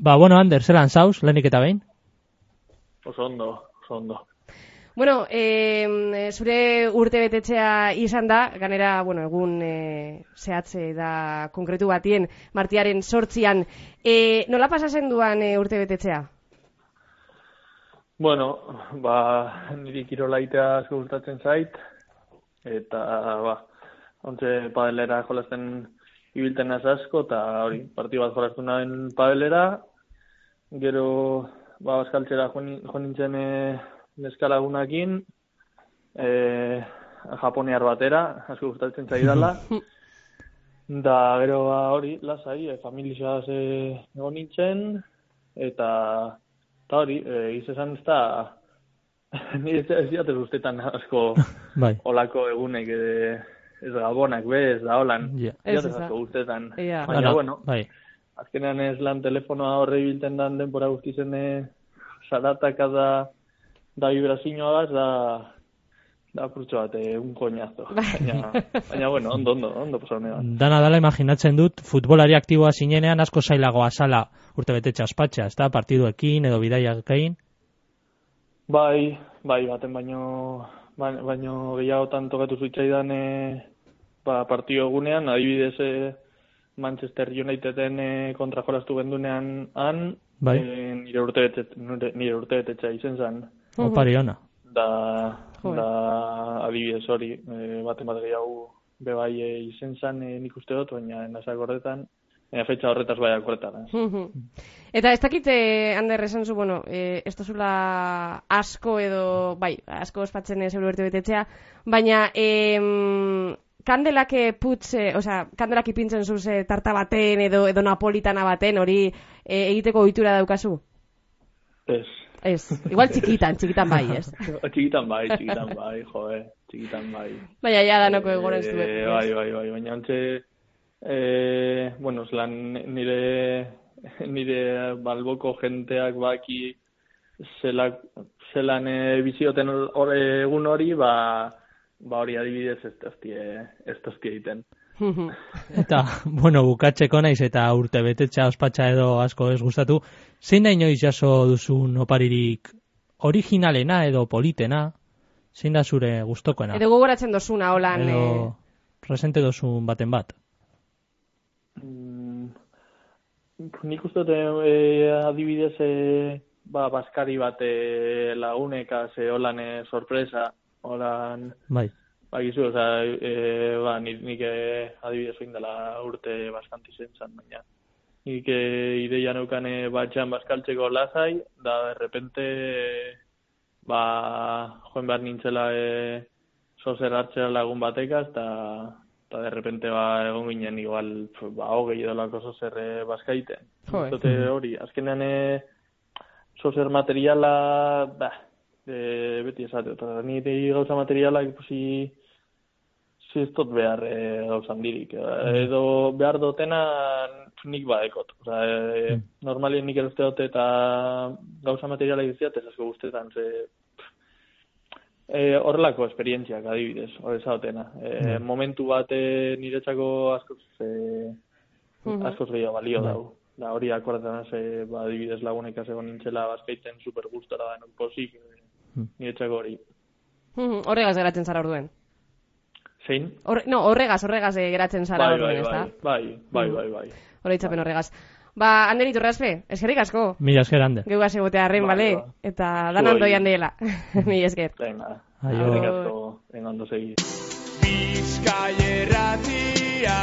Bueno, Ander, zelan zauz, lehenik eta behin? Oso ondo. Bueno, zure urtebetetzea izan da, ganera, egun zehatze da konkretu batien, martiaren 8an. Nola pasatzen duan urtebetetzea? Bueno, niri kirolaitea asko gustatzen zait, eta, ontze padelera jolasten ibilten naz asko, eta hori, partidu bat jolastu nahen padelera, gero, baskaltzera jo nintzen neskalagunakin, japoniar batera, asko gustatzen zaidala, da gero hori, lasai, familizaz egon nintzen, eta hori, izan ez da, nire ez diatez guztetan asko olako egunek, ez gabonak, ez da holan, diatez asko guztetan. Baina, bueno, azkenean ez lan telefonoa horre bilten dan denbora guztizen zarataka da vibrazioa da purtsu bat, un koñazo. Baina, bueno, ondo pasone bat. Dana dala imaginatzen dut, futbolari aktiboa zinenean asko zailagoa zala urtebetetxe aspatxa, ez da? Partiduekin edo bidaiakein? Bai, baten baino gehiagotan tokatu zuitzaidan partidu egunean, adibidez Manchester Uniteden kontra jolastu gendunean nire urtebetetxea izen zen. Opari ona. Da adibidez hori, baten bat gehiago bebai izen zen nik uste dut, baina nazak horretan, fetxa horretaz bai akorretan. Eta ez dakit, Ander, esan zu, ez dozula asko edo, asko ospatzen zeure urtebetetzea, baina kandelak kandelak ipintzen zuz tarta baten edo napolitana baten, hori egiteko ohitura daukazu? Ez. Igual txikitan bai, ez? Txikitan bai, txikitan bai. Baina ja danoko egoren zuen. Bai, baina antxe, zelan nire balboko jenteak baki zelan bizioten egun hori, hori adibidez ez tozki egiten. Eta, bukatzeko naiz eta urtebetetxa ospatxa edo asko ez gustatu, zein da inoiz jaso duzun oparirik originalena edo politena? Zein da zure gustokoena? Edo gogoratzen dozuna, holan... Edo presente dozun baten bat? Nik uste adibidez baskari bat lagunekaz holan sorpresa, holan... Bai. Bakizu, nik adibidez oin dela urte baskanti zen, baina nik ideia neukan batxan baskaltzeko lasai, da derrepente joen behar nintzela sozer hartzera lagun batekaz, eta derrepente egon ginen igual hogei edolako sozer baskaiten. Zote hori, azkenean sozer materiala, beti esate, eta nire gauza materiala ikusi ez dut behar gauza handirik. Edo behar dutena nik badekot. Normalien nik eroste dut eta gauza materiala iziat ez asko guztetan. Horrelako esperientziak adibidez, horreza dutena. Momentu bat niretzako askoz gehiago balio dau. Da hori akordetan adibidez lagunekaz egon nintzela bazkaiten super gustora da pozik niretzako hori. Horregaz geratzen zara orduen. Zein? Horregaz geratzen zara orduen, ez da? Bai. Horreitzapen horregaz. Ander Iturraspe, eskerrik asko. Mila esker, Ander. Geugaz egotea arren, bale? Eta dan andoian dela. Mila esker. Venga, eskerrik asko, ondo segi. Bizkaia Irratia